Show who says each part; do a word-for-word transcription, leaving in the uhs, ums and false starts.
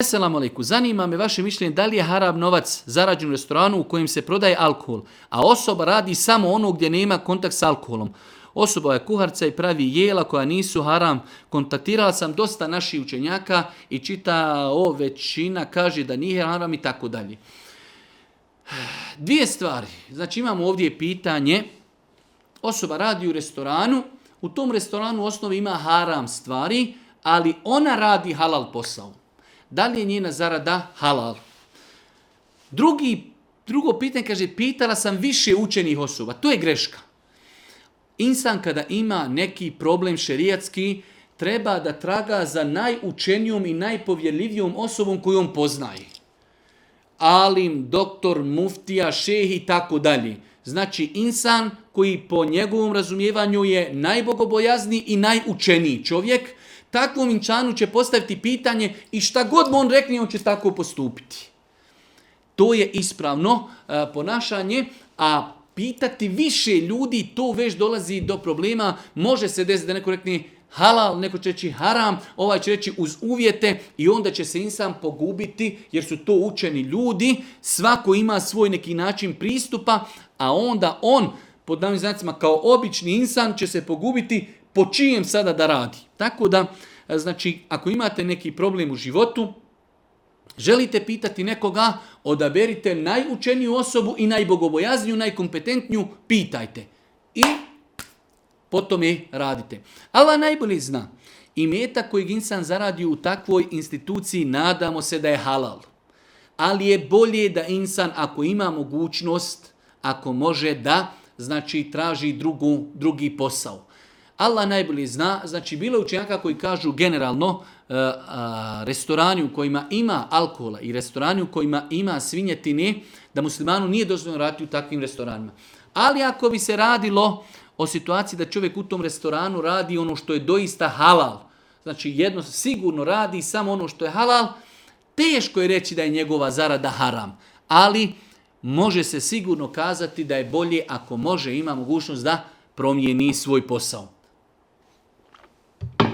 Speaker 1: Assalamu alaikum, zanima me vaše mišljenje da li je haram novac zarađen u restoranu u kojem se prodaje alkohol, a osoba radi samo ono gdje nema kontakt s alkoholom. Osoba je kuharca i pravi jela koja nisu haram. Kontaktirala sam dosta naših učenjaka i čita o većina kaže da nije haram i tako dalje. Dvije stvari. Znači imamo ovdje pitanje. Osoba radi u restoranu. U tom restoranu u osnovi ima haram stvari, ali ona radi halal posao. Da li je njena zarada halal? Drugi, drugo pitanje kaže, pitala sam više učenih osoba. To je greška. Insan kada ima neki problem šerijatski, treba da traga za najučenijom i najpovjerljivijom osobom koju on poznaje. Alim, doktor, muftija, šejh i tako dalje. Znači insan koji po njegovom razumijevanju je najbogobojazniji i najučeniji čovjek, takvom insanu će postaviti pitanje i šta god mu on rekne, on će tako postupiti. To je ispravno uh, ponašanje, a pitati više ljudi, to već dolazi do problema. Može se desiti da neko rekne halal, neko će reći haram, ovaj će reći uz uvjete i onda će se insan pogubiti jer su to učeni ljudi. Svako ima svoj neki način pristupa, a onda on, pod navim znacima, kao obični insan će se pogubiti po čijem sada da radi. Tako da, znači, ako imate neki problem u životu, želite pitati nekoga, odaberite najučeniju osobu i najbogobojazniju, najkompetentniju, pitajte. I potom je radite. Allah najbolje zna. Imetak kojeg insan zaradi u takvoj instituciji, nadamo se da je halal. Ali je bolje da insan, ako ima mogućnost, ako može da, znači traži drugu, drugi posao. Allah najbolje zna, znači bilo je učenjaka koji kažu generalno uh, uh, restorani u kojima ima alkohola i restorani u kojima ima svinjetine, da muslimanu nije dozvoljeno raditi u takvim restoranima. Ali ako bi se radilo o situaciji da čovjek u tom restoranu radi ono što je doista halal, znači jedno sigurno radi samo ono što je halal, teško je reći da je njegova zarada haram. Ali može se sigurno kazati da je bolje ako može, ima mogućnost da promijeni svoj posao.